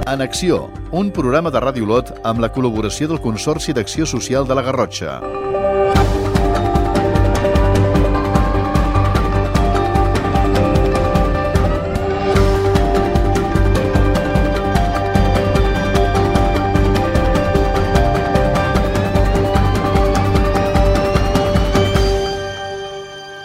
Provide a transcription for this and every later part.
En Acció, un programa de Ràdio Olot amb la col·laboració del Consorci d'Acció Social de la Garrotxa.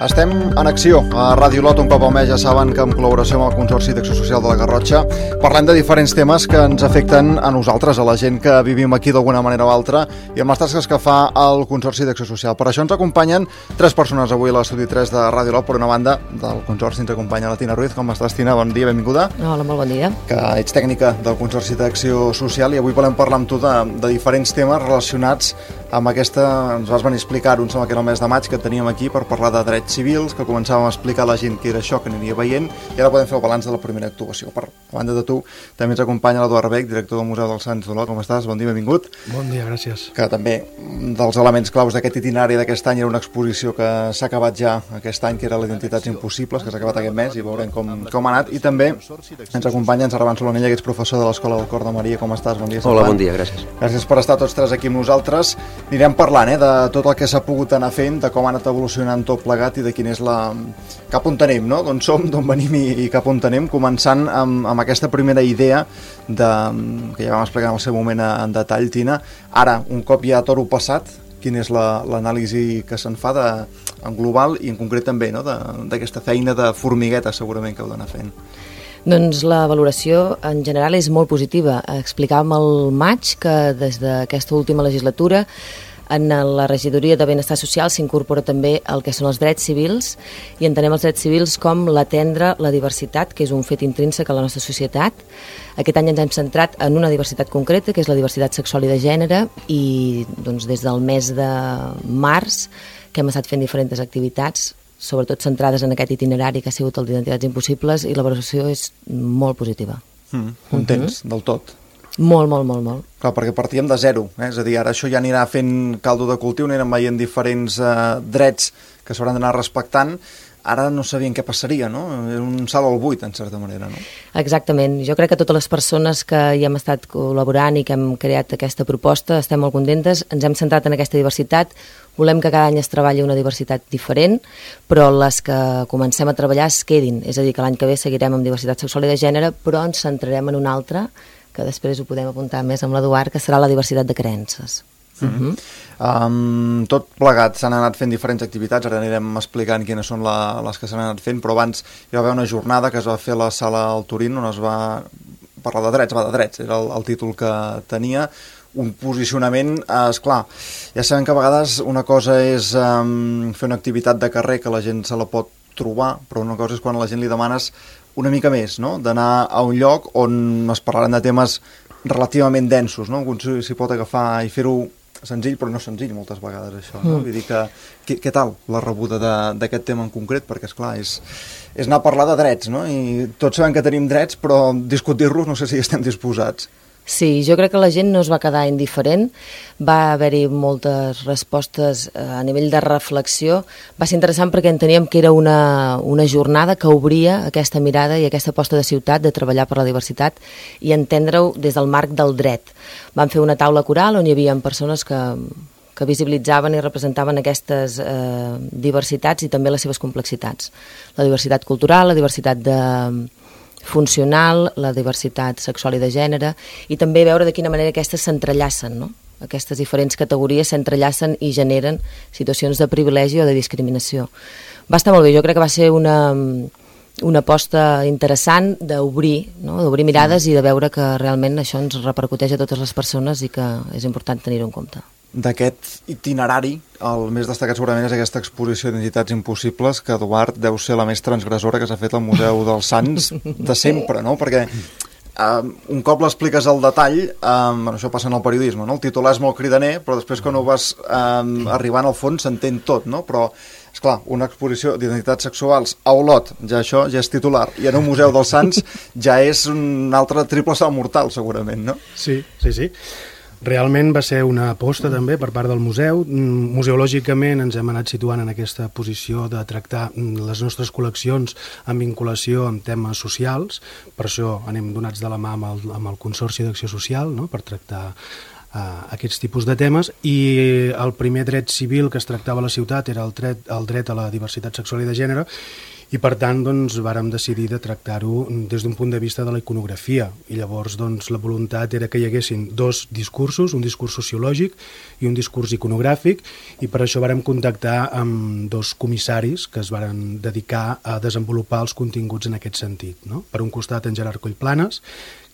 Estem en Acció, a Ràdio Olot, un cop al mes, ja saben que en col·laboració amb el Consorci d'Acció Social de la Garrotxa parlem de diferents temes que ens afecten a nosaltres, a la gent que vivim aquí d'alguna manera o altra, i amb les tasques que fa el Consorci d'Acció Social. Per això ens acompanyen 3 persones avui a l'estudi 3 de Ràdio Olot. Per una banda, del Consorci ens acompanya la Tina Ruiz. Com estàs, Tina? Bon dia, benvinguda. Hola, molt bon dia. Que ets tècnica del Consorci d'Acció Social i avui volem parlar amb tu de diferents temes relacionats amb aquesta... Ens vas venir a explicar-ho, em sembla que era el mes de maig, que teníem aquí per parlar de drets civils, que començàvem a explicar a la gent que era això, que aniria veient, i ara podem fer el balanç de la primera actuació. A banda de tu, també ens acompanya l'Eduard Beck, director del Museu dels Sants d'Olot. Com estàs? Bon dia, benvingut. Bon dia, gràcies. Que també un dels elements claus d'aquest itinerari d'aquest any era una exposició que s'ha acabat ja aquest any, que era l'Identitats Impossibles, que s'ha acabat aquest mes, i veurem com ha anat. I també ens acompanya en Servan Solonella, que ets professor de l'Escola del Cor de Maria. Com estàs? Bon dia, Servan. Hola, bon dia, gràcies. Gràcies per estar tots 3 aquí amb nosaltres. Anirem parlant de tot el que s'ha pogut anar fent, de com ha anat evolucionant tot plegat i de quin és cap on tenim, no? D'on som, d'on venim i cap on tenim, començant amb aquesta primera idea que ja vam explicar en el seu moment en detall, Tina. Ara, un cop ja tot ho passat, quina és l'anàlisi que se'n fa en global i en concret també, no? D'aquesta feina de formigueta segurament que heu d'anar fent. Doncs la valoració en general és molt positiva. Explicàvem al maig que des d'aquesta última legislatura en la regidoria de Benestar Social s'incorpora també el que són els drets civils i entenem els drets civils com l'atendre la diversitat, que és un fet intrínsec a la nostra societat. Aquest any ens hem centrat en una diversitat concreta, que és la diversitat sexual i de gènere, i doncs, des del mes de març que hem estat fent diferents activitats, sobretot centrades en aquest itinerari que ha sigut el d'Identitats Impossibles, i la valoració és molt positiva. Contents del tot? Molt, molt, molt, molt. Clar, perquè partíem de zero, és a dir, ara això ja anirà fent caldo de cultiu, anirem veient diferents drets que s'hauran d'anar respectant. Ara no sabien què passaria, no? Era un salt al buit, en certa manera, no? Exactament. Jo crec que totes les persones que hi hem estat col·laborant i que hem creat aquesta proposta estem molt contentes, ens hem centrat en aquesta diversitat, volem que cada any es treballi una diversitat diferent, però les que comencem a treballar es quedin, és a dir, que l'any que ve seguirem amb diversitat sexual i de gènere, però ens centrarem en una altra, que després ho podem apuntar més amb l'Eduard, que serà la diversitat de creences. Tot plegat, s'han anat fent diferents activitats, ara anirem explicant quines són les que s'han anat fent, però abans hi va haver una jornada que es va fer a la sala al Turín, on es va parlar de drets, era el títol que tenia, un posicionament, esclar, ja sabem que a vegades una cosa és fer una activitat de carrer que la gent se la pot trobar, però una cosa és quan a la gent li demanes una mica més, no? D'anar a un lloc on es parlaran de temes relativament densos, no? Algú s'hi pot agafar i fer-ho senzill, però no senzill moltes vegades això, no? Vull dir que, què tal la rebuda d'aquest tema en concret? Perquè, esclar, és anar a parlar de drets, no? I tots sabem que tenim drets, però discutir-los no sé si estem disposats. Sí, jo crec que la gent no es va quedar indiferent, va haver-hi moltes respostes a nivell de reflexió. Va ser interessant perquè enteníem que era una jornada que obria aquesta mirada i aquesta aposta de ciutat de treballar per la diversitat i entendre-ho des del marc del dret. Vam fer una taula coral on hi havia persones que visibilitzaven i representaven aquestes diversitats i també les seves complexitats. La diversitat cultural, la diversitat funcional, la diversitat sexual i de gènere, i també veure de quina manera aquestes s'entrellacen, no? Aquestes diferents categories s'entrellacen i generen situacions de privilegi o de discriminació. Va estar molt bé, jo crec que va ser una aposta interessant d'obrir, no? D'obrir mirades i de veure que realment això ens repercuteix a totes les persones i que és important tenir-ho en compte. D'aquest itinerari, el més destacat segurament és aquesta exposició d'Identitats Impossibles, que, Eduard, deu ser la més transgressora que s'ha fet al Museu dels Sants de sempre, no? Perquè un cop l'expliques al detall, això passa en el periodisme, no? El titular és molt cridaner, però després quan ho vas arribant al fons s'entén tot, no? Però, esclar, una exposició d'identitats sexuals a Olot, ja això ja és titular, i en un Museu dels Sants ja és un altre triple salt mortal, segurament, no? Sí. Realment va ser una aposta també per part del museu. Museològicament ens hem anat situant en aquesta posició de tractar les nostres col·leccions en vinculació amb temes socials, per això anem donats de la mà amb el Consorci d'Acció Social, no?, per tractar aquests tipus de temes, i el primer dret civil que es tractava a la ciutat era el dret a la diversitat sexual i de gènere, i per tant doncs, vàrem decidir de tractar-ho des d'un punt de vista de la iconografia, i llavors doncs, la voluntat era que hi haguessin dos discursos, un discurs sociològic i un discurs iconogràfic, i per això vàrem contactar amb dos comissaris que es varen dedicar a desenvolupar els continguts en aquest sentit, no? Per un costat en Gerard Collplanes,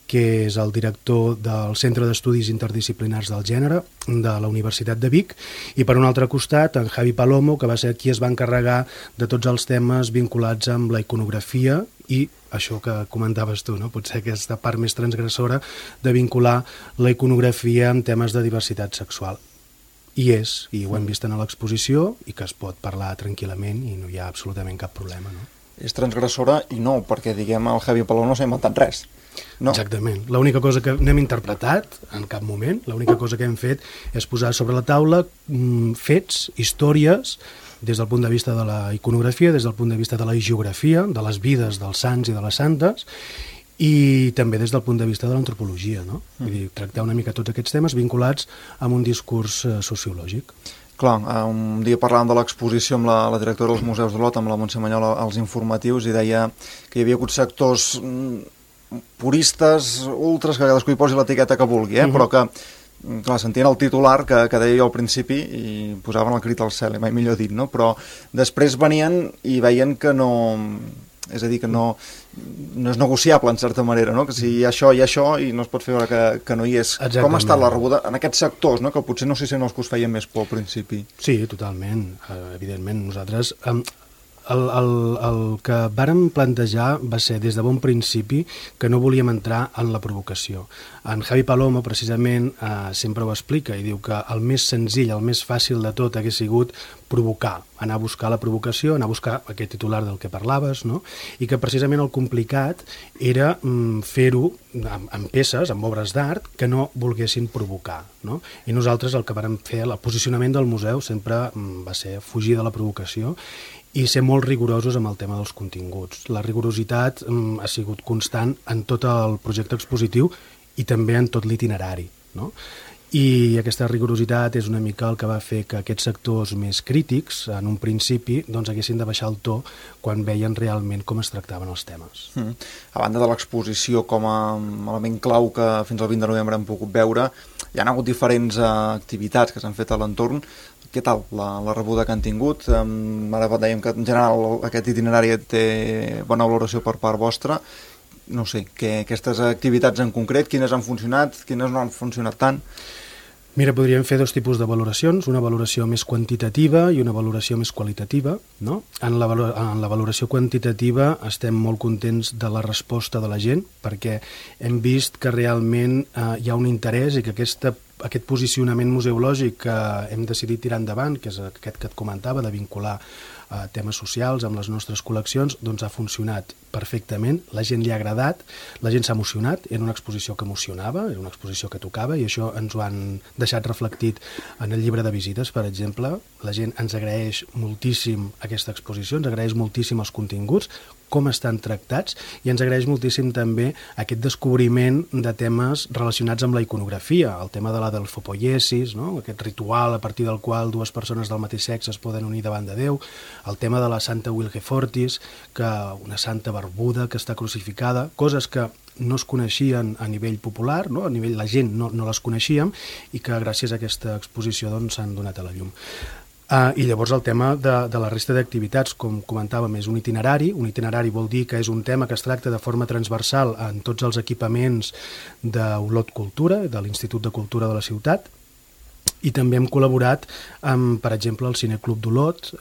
que és el director del Centre d'Estudis Interdisciplinars del Gènere de la Universitat de Vic, i per un altre costat en Javi Palomo, que va ser qui es va encarregar de tots els temes vinculats amb la iconografia i això que comentaves tu, no? Potser aquesta part més transgressora de vincular la iconografia amb temes de diversitat sexual. I ho hem vist en l'exposició, i que es pot parlar tranquil·lament i no hi ha absolutament cap problema, no? És transgressora i no, perquè diguem el Javi Palomo no s'ha inventat res. No. Exactament. L'única cosa que n'hem interpretat en cap moment, l'única cosa que hem fet és posar sobre la taula fets, històries, des del punt de vista de la iconografia, des del punt de vista de la geografia, de les vides dels sants i de les santes, i també des del punt de vista de l'antropologia, no? Vull dir, tractar una mica tots aquests temes vinculats amb un discurs sociològic. Clar, un dia parlàvem de l'exposició amb la directora dels Museus d'Olot, amb la Montse Manyola, als informatius, i deia que hi havia hagut sectors puristes, ultres, que cadascú hi posi l'etiqueta que vulgui, però que, clar, sentien el titular que deia jo al principi i posaven el crit al cel, mai millor dit, no? Però després venien i veien que no... És a dir, que no és negociable, en certa manera, no? Que si hi ha això i no es pot fer veure que no hi és. Exactament. Com ha estat la rebuda en aquests sectors, no? Que potser no sé si són els que us feien més por al principi. Sí, totalment. Evidentment, nosaltres... El que vàrem plantejar va ser des de bon principi que no volíem entrar en la provocació. En Javi Palomo, precisament, sempre ho explica i diu que el més senzill, el més fàcil de tot hagués sigut provocar, anar a buscar la provocació, anar a buscar aquest titular del que parlaves, no? I que precisament el complicat era fer-ho amb peces, amb obres d'art, que no volguessin provocar, no? I nosaltres el que vàrem fer, el posicionament del museu sempre va ser fugir de la provocació i ser molt rigorosos amb el tema dels continguts. La rigorositat ha sigut constant en tot el projecte expositiu i també en tot l'itinerari, no? I aquesta rigorositat és una mica el que va fer que aquests sectors més crítics, en un principi, doncs haguessin de baixar el to quan veien realment com es tractaven els temes. A banda de l'exposició com a element clau que fins al 20 de novembre hem pogut veure, hi ha hagut diferents activitats que s'han fet a l'entorn. Què tal la rebuda que han tingut? Ara dèiem que en general aquest itinerari té bona valoració per part vostra. No sé, que aquestes activitats en concret, quines han funcionat, quines no han funcionat tant? Mira, podríem fer dos tipus de valoracions, una valoració més quantitativa i una valoració més qualitativa, no? En la valoració quantitativa estem molt contents de la resposta de la gent, perquè hem vist que realment hi ha un interès i que aquest posicionament museològic que hem decidit tirar endavant, que és aquest que et comentava, de vincular temes socials amb les nostres col·leccions, doncs ha funcionat perfectament, la gent li ha agradat, la gent s'ha emocionat, era una exposició que emocionava, era una exposició que tocava, i això ens ho han deixat reflectit en el llibre de visites, per exemple. La gent ens agraeix moltíssim aquesta exposició, ens agraeix moltíssim els continguts, com estan tractats, i ens agraeix moltíssim també aquest descobriment de temes relacionats amb la iconografia, el tema de la delfopoiesis, no? Aquest ritual a partir del qual dues persones del mateix sexe es poden unir davant de Déu, el tema de la Santa Wilgefortis, que una santa barbuda que està crucificada, coses que no es coneixien a nivell popular, no? A nivell la gent no les coneixíem, i que gràcies a aquesta exposició doncs, s'han donat a la llum. I llavors el tema de la resta d'activitats, com comentàvem, és un itinerari. Un itinerari vol dir que és un tema que es tracta de forma transversal en tots els equipaments d'Olot Cultura, de l'Institut de Cultura de la ciutat, i també hem col·laborat amb, per exemple, el Cineclub d'Olot,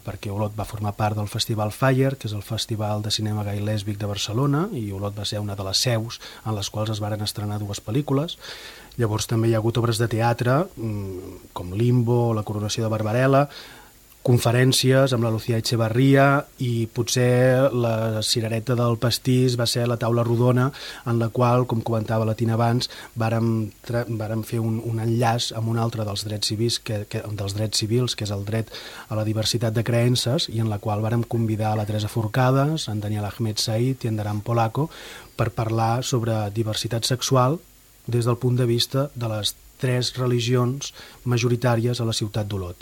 perquè Olot va formar part del Festival Fire, que és el festival de cinema gai lèsbic de Barcelona, i Olot va ser una de les seus en les quals es varen estrenar dues pel·lícules. Llavors també hi ha hagut obres de teatre, com Limbo, La coronació de Barbarella, conferències amb la Lucía Echevarría, i potser la cirereta del pastís va ser la taula rodona en la qual, com comentava la Tina abans, vàrem fer un enllaç amb un altre dels drets civils, que és el dret a la diversitat de creences, i en la qual vàrem convidar a la Teresa Forcades, en Daniel Ahmed Said i en Daran Polaco per parlar sobre diversitat sexual des del punt de vista de les 3 religions majoritàries a la ciutat d'Olot.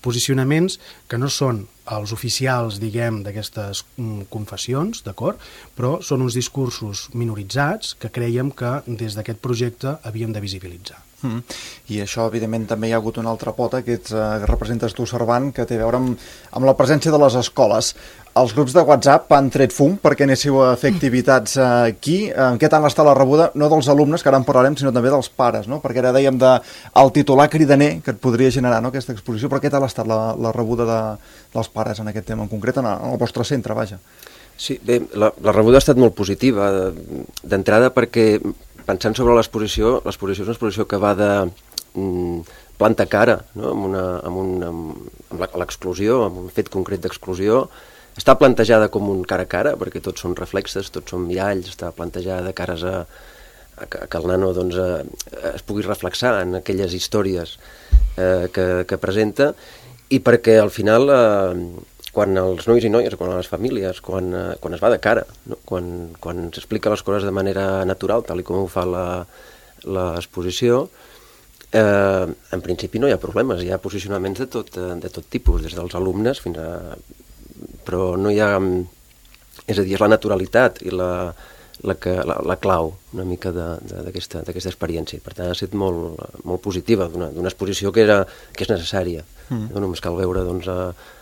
Posicionaments que no són els oficials, diguem, d'aquestes confessions, d'acord? Però són uns discursos minoritzats que creiem que des d'aquest projecte havíem de visibilitzar. I això, evidentment, també hi ha hagut una altra pota que representes tu, Servant, que té a veure amb la presència de les escoles. Els grups de WhatsApp han tret fum perquè anéssiu a fer activitats aquí. En què tal està la rebuda, no dels alumnes, que ara en parlarem, sinó també dels pares, no? Perquè ara dèiem el titular cridaner que et podria generar, no, aquesta exposició, però què tal ha estat la rebuda dels pares en aquest tema en concret, en el vostre centre, vaja? Sí, bé, la rebuda ha estat molt positiva, d'entrada perquè, pensant sobre l'exposició és una exposició que va de plantar cara, no? amb l'exclusió, amb un fet concret d'exclusió. Està plantejada com un cara a cara, perquè tots són reflexes, tots són miralls, està plantejada de cares a que el nano doncs, es pugui reflexar en aquelles històries que presenta, i perquè al final, quan els nois i noies, quan les famílies, quan es va de cara, no? quan s'explica les coses de manera natural, tal com ho fa l'exposició, en principi no hi ha problemes, hi ha posicionaments de tot tipus, des dels alumnes fins a... però no hi ha... És a dir, és la naturalitat i la clau una mica d'aquesta experiència. Per tant, ha estat molt positiva, d'una exposició que és necessària. No només cal veure doncs,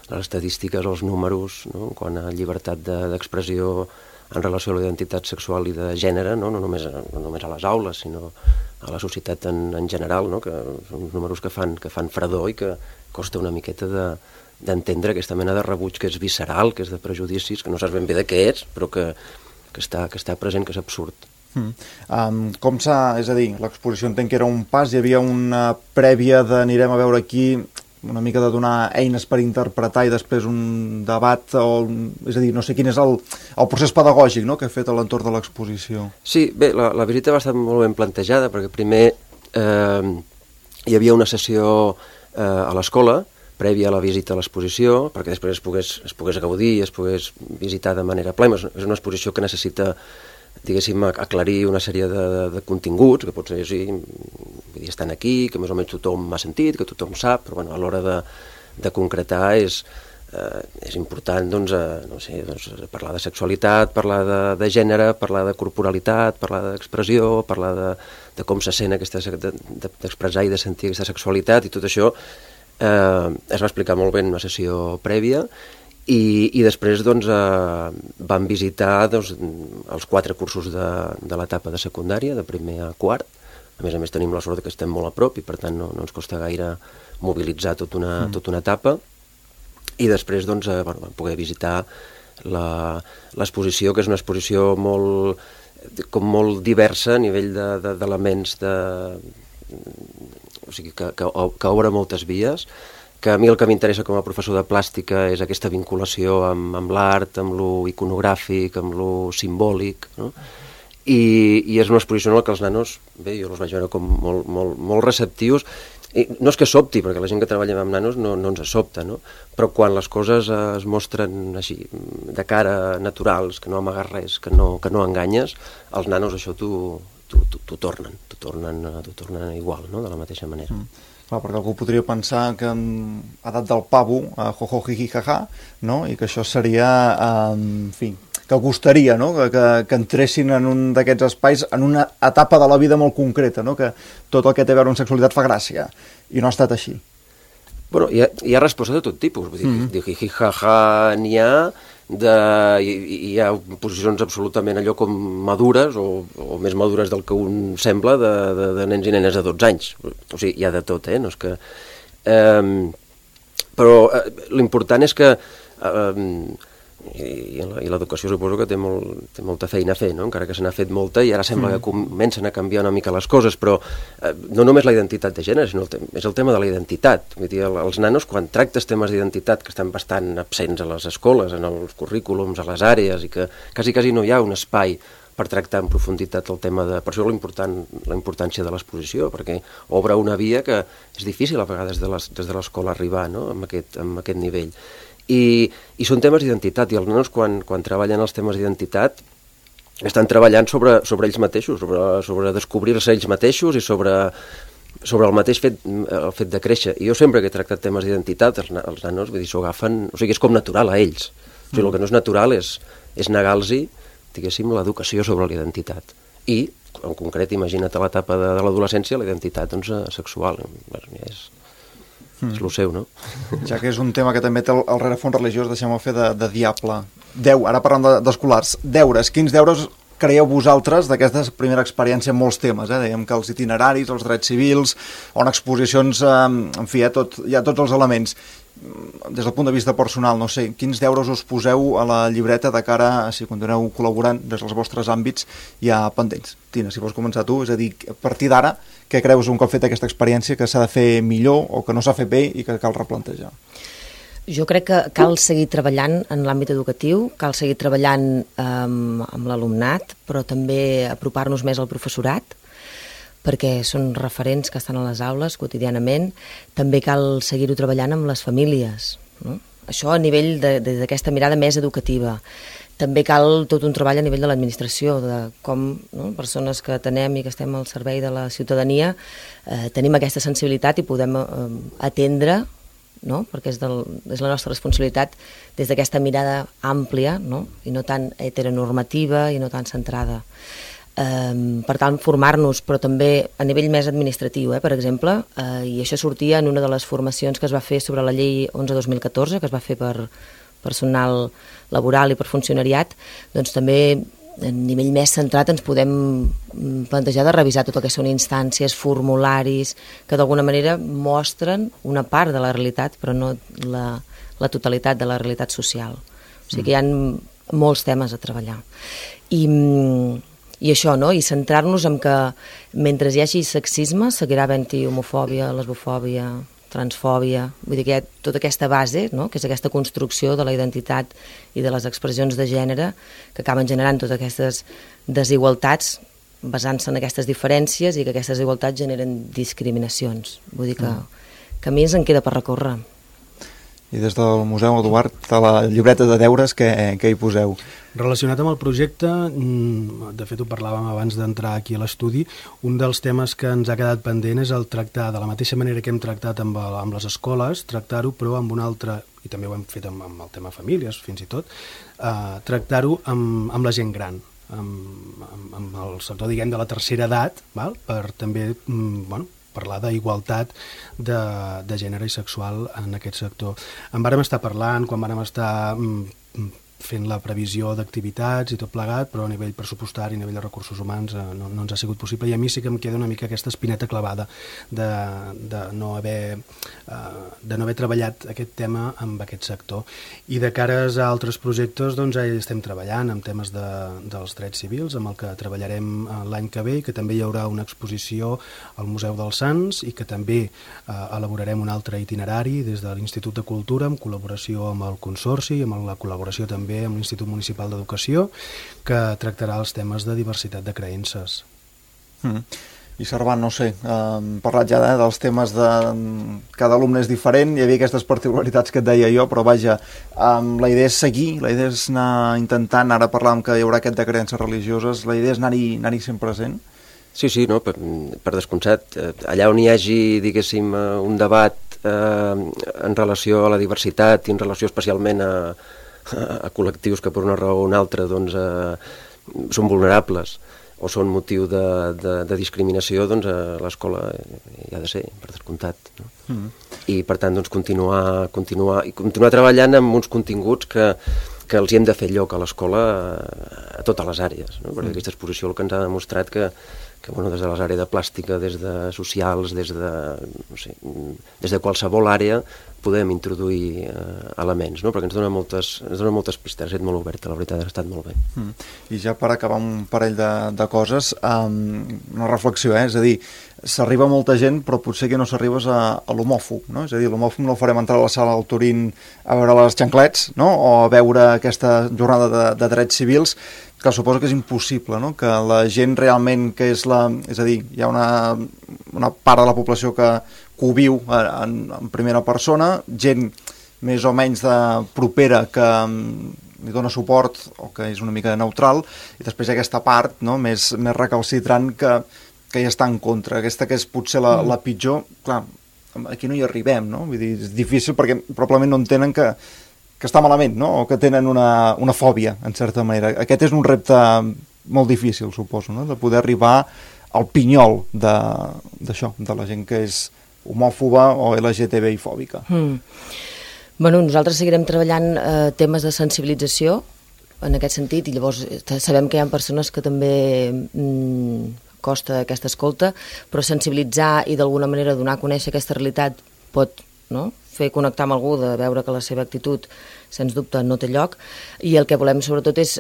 les estadístiques, els números, no? Quant a llibertat d'expressió en relació a la identitat sexual i de gènere, no només a les aules, sinó a la societat en general, no? Que són números que fan fredor i que costa una miqueta d'entendre aquesta mena de rebuig que és visceral, que és de prejudicis, que no saps ben bé de què és, però que està present, que és absurd. És a dir, l'exposició entenc que era un pas, hi havia una prèvia d'anirem a veure aquí, una mica de donar eines per interpretar i després un debat, és a dir, no sé quin és el procés pedagògic, no?, que ha fet a l'entorn de l'exposició. Sí, bé, la visita va estar molt ben plantejada, perquè primer hi havia una sessió a l'escola, prèvia a la visita a l'exposició, perquè després es pogués gaudir, es pogués visitar de manera plena. És una exposició que necessita, diguéssim, aclarir una sèrie de continguts, que potser sí, estan aquí, que més o menys tothom ha sentit, que tothom sap, però bueno, a l'hora de concretar és important doncs, parlar de sexualitat, parlar de gènere, parlar de corporalitat, parlar d'expressió, parlar de com se sent d'expressar i de sentir aquesta sexualitat, i tot això es va explicar molt bé en una sessió prèvia, i després doncs, vam visitar els 4 cursos de l'etapa de secundària, de primer a quart. A més tenim la sort que estem molt a prop i per tant no ens costa gaire mobilitzar tota una etapa, i després doncs, vam poder visitar l'exposició, que és una exposició molt diversa a nivell d'elements o sigui, que obre moltes vies, que a mi el que m'interessa com a professor de plàstica és aquesta vinculació amb l'art, amb lo iconogràfic, amb lo simbòlic, no? I és una exposició en la que els nanos, bé, jo els vaig veure com molt receptius, i no és que sobti, perquè la gent que treballa amb nanos no ens sobta, no? Però quan les coses es mostren així, de cara naturals, que no amagues res, que no enganyes, els nanos això t'ho tornen igual, no? De la mateixa manera. Clar, perquè algú podria pensar que ha dat del pavo a jojo, jiji, jaja, no? I que això seria, en fi, que costaria, no? Que entressin en un d'aquests espais en una etapa de la vida molt concreta, no? Que tot el que té a veure amb sexualitat fa gràcia, i no ha estat així. Bueno, hi ha respostes de tot tipus, vull dir, jiji, jaja, n'hi ha, hi ha posicions absolutament allò com madures o més madures del que un sembla de nens i nenes de 12 anys. O sigui, hi ha de tot, no és que... Però l'important és que i l'educació suposo que té molta feina a fer, no? Encara que se n'ha fet molta i ara sembla que comencen a canviar una mica les coses, però no només la identitat de gènere, sinó és el tema de la identitat. Vull dir, els nanos, quan tractes temes d'identitat que estan bastant absents a les escoles, en els currículums, a les àrees, i que quasi no hi ha un espai per tractar en profunditat el tema de... Per això la importància de l'exposició, perquè obre una via que és difícil a vegades des de l'escola arribar, no? amb aquest nivell. I són temes d'identitat, i els nanos quan treballen els temes d'identitat estan treballant sobre ells mateixos, sobre descobrir-se ells mateixos i sobre el mateix fet de créixer. I jo sempre que he tractat temes d'identitat, els nanos, vull dir, s'ho agafen... O sigui, és com natural a ells. O sigui, el que no és natural és negar-los, diguéssim, l'educació sobre la identitat. I, en concret, imagina't a l'etapa de l'adolescència, la identitat sexual. És el seu, no? Ja que és un tema que també té el rerefons religiós, deixem-ho fer de diable. Ara parlant d'escolars, deures. Quins deures creieu vosaltres d'aquesta primera experiència en molts temes? Dèiem que els itineraris, els drets civils, o en exposicions, en fi, hi ha tots els elements. Des del punt de vista personal, no sé, quins deures us poseu a la llibreta de cara a si continueu col·laborant des dels vostres àmbits ja pendents? Tina, si vols començar tu, és a dir, a partir d'ara, què creus un cop fet aquesta experiència que s'ha de fer millor o que no s'ha fet bé i que cal replantejar? Jo crec que cal seguir treballant en l'àmbit educatiu, cal seguir treballant amb l'alumnat, però també apropar-nos més al professorat, perquè són referents que estan a les aules quotidianament. També cal seguir-ho treballant amb les famílies, no? Això a nivell d'aquesta mirada més educativa. També cal tot un treball a nivell de l'administració, de com, no, persones que atenem i que estem al servei de la ciutadania tenim aquesta sensibilitat i podem atendre, no? Perquè és la nostra responsabilitat des d'aquesta mirada àmplia, no? I no tan heteronormativa i no tan centrada. Per tant, formar-nos, però també a nivell més administratiu, per exemple, i això sortia en una de les formacions que es va fer sobre la llei 11-2014, que es va fer per personal laboral i per funcionariat, doncs també a nivell més centrat ens podem plantejar de revisar tot el que són instàncies, formularis, que d'alguna manera mostren una part de la realitat, però no la totalitat de la realitat social. O sigui que hi ha molts temes a treballar. I això, no? I centrar-nos en que mentre hi hagi sexisme seguirà havent-hi homofòbia, lesbofòbia, transfòbia, vull dir que hi ha tota aquesta base, no? Que és aquesta construcció de la identitat i de les expressions de gènere que acaben generant totes aquestes desigualtats basant-se en aquestes diferències i que aquestes desigualtats generen discriminacions. Vull dir que a mi ens en queda per recórrer. I des del Museu Eduard, a la llibreta de deures, què hi poseu? Relacionat amb el projecte, de fet ho parlàvem abans d'entrar aquí a l'estudi, un dels temes que ens ha quedat pendent és el tractar, de la mateixa manera que hem tractat amb les escoles, tractar-ho però amb un altre, i també ho hem fet amb el tema famílies fins i tot, tractar-ho amb la gent gran, amb el sector, diguem, de la tercera edat, val? Per també, parlar d'igualtat de gènere i sexual en aquest sector. En vàrem estar parlant quan vàrem estar fent la previsió d'activitats i tot plegat, però a nivell pressupostari, a nivell de recursos humans no ens ha sigut possible, i a mi sí que em queda una mica aquesta espineta clavada de no haver treballat aquest tema amb aquest sector. I de cares a altres projectes, doncs ja estem treballant amb temes dels drets civils, amb el que treballarem l'any que ve, i que també hi haurà una exposició al Museu dels Sants, i que també elaborarem un altre itinerari des de l'Institut de Cultura, en col·laboració amb el Consorci, amb la col·laboració també amb l'Institut Municipal d'Educació, que tractarà els temes de diversitat de creences. I Servant, no sé, hem parlat ja dels temes de cada alumne és diferent, hi havia aquestes particularitats que et deia jo, però vaja, la idea és seguir, la idea és anar intentant, ara parlàvem que hi haurà aquest de creences religioses, la idea és anar-hi sempre present? Sí, no, per descomptat. Allà on hi hagi, diguéssim, un debat en relació a la diversitat i en relació especialment a col·lectius que per una raó o una altra doncs, són vulnerables o són motiu de discriminació, doncs l'escola hi ha de ser, per descomptat. No? I per tant doncs, continuar treballant amb uns continguts que els hi hem de fer lloc a l'escola a totes les àrees, no? Perquè aquesta exposició el que ens ha demostrat que bueno, des de les àrees de plàstica, des de socials, des de qualsevol àrea podem introduir elements, no? Perquè ens dona moltes pistes, ha estat molt oberta, la veritat, ha estat molt bé. I ja per acabar un parell de coses, una reflexió, és a dir, s'arriba a molta gent, però potser que no s'arribes a l'homòfob, no? És a dir, l'homòfob no el farem entrar a la sala del Turín a veure les xanclets, no? O a veure aquesta jornada de drets civils, que suposo que és impossible, no? Que la gent realment que és a dir, hi ha una part de la població que ho viu en primera persona, gent més o menys propera que li dona suport o que és una mica neutral, i després hi ha aquesta part, no? més recalcitrant que ja està en contra. Aquesta que és potser la pitjor, clar, aquí no hi arribem, no? Vull dir, és difícil perquè probablement no entenen que està malament, no? O que tenen una fòbia, en certa manera. Aquest és un repte molt difícil, suposo, no? De poder arribar al pinyol d'això, de la gent que és homòfoba o LGTBI-fòbica. Bueno, nosaltres seguirem treballant temes de sensibilització en aquest sentit, i llavors sabem que hi ha persones que també costa aquesta escolta, però sensibilitzar i d'alguna manera donar a conèixer aquesta realitat pot, no?, fer connectar amb algú, de veure que la seva actitud, sens dubte, no té lloc, i el que volem sobretot és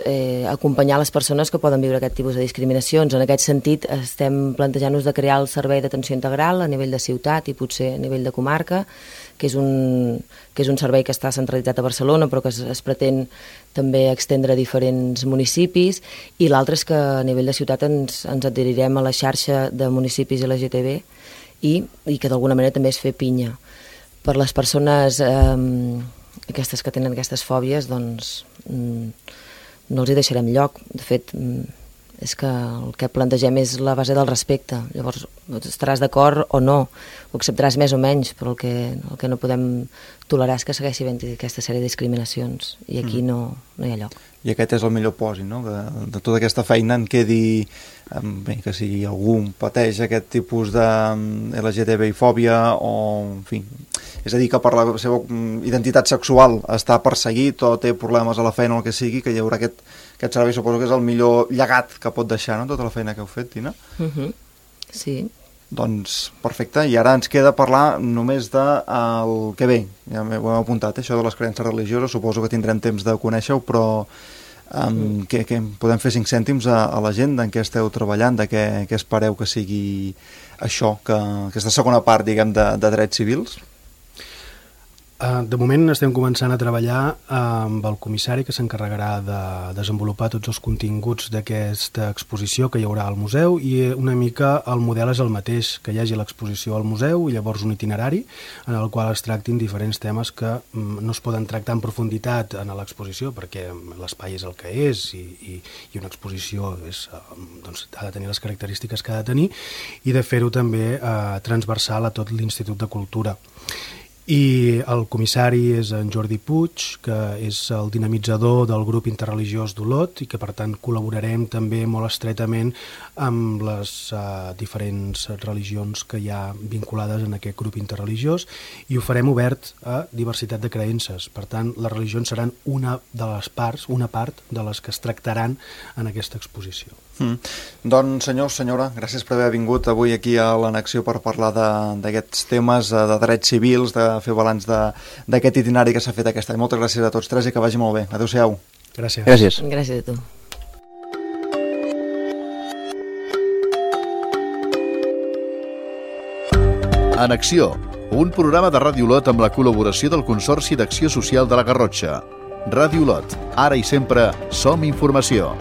acompanyar les persones que poden viure aquest tipus de discriminacions. En aquest sentit, estem plantejant-nos de crear el servei d'atenció integral a nivell de ciutat i potser a nivell de comarca, que és un servei que està centralitzat a Barcelona, però que es pretén també extendre a diferents municipis, i l'altre és que a nivell de ciutat ens adherirem a la xarxa de municipis LGTB i que d'alguna manera també és fer pinya. Per les persones aquestes que tenen aquestes fòbies, doncs no els hi deixarem lloc. De fet, és que el que plantegem és la base del respecte. Llavors, estaràs d'acord o no, ho acceptaràs més o menys, però el que no podem tolerar és que segueixi havent aquesta sèrie de discriminacions, i aquí no hi ha lloc. I aquest és el millor pòsit, no? Que de tota aquesta feina en quedi que si algú pateix aquest tipus de LGTBI-fòbia o, en fi, és a dir, que per la seva identitat sexual està perseguit o té problemes a la feina o el que sigui, que hi haurà aquest servei, suposo que és el millor llegat que pot deixar, no?, tota la feina que heu fet, Tina? Sí. Doncs perfecte, i ara ens queda parlar només del que ve. Ja ho hem apuntat, això de les creences religioses, suposo que tindrem temps de conèixer-ho, però què podem fer 5 cèntims a la gent en què esteu treballant, de què espereu que sigui això, aquesta segona part, diguem, de drets civils? De moment estem començant a treballar amb el comissari que s'encarregarà de desenvolupar tots els continguts d'aquesta exposició que hi haurà al museu, i una mica el model és el mateix, que hi hagi l'exposició al museu i llavors un itinerari en el qual es tractin diferents temes que no es poden tractar en profunditat en l'exposició perquè l'espai és el que és i una exposició ha de tenir les característiques que ha de tenir, i de fer-ho també transversal a tot l'Institut de Cultura. I el comissari és en Jordi Puig, que és el dinamitzador del grup interreligiós d'Olot i que per tant col·laborarem també molt estretament amb les diferents religions que hi ha vinculades en aquest grup interreligiós, i ho farem obert a diversitat de creences. Per tant, les religions seran una part de les que es tractaran en aquesta exposició. Doncs senyor, senyora, gràcies per haver vingut avui aquí a l'Annexió per parlar d'aquests temes de drets civils, de fer balanç d'aquest itinerari que s'ha fet aquest any. Moltes gràcies a tots tres i que vagi molt bé. Adéu-siau. Gràcies. Gràcies a tu. Annexió, un programa de Ràdio Olot amb la col·laboració del Consorci d'Acció Social de la Garrotxa. Ràdio Olot, ara i sempre som informació.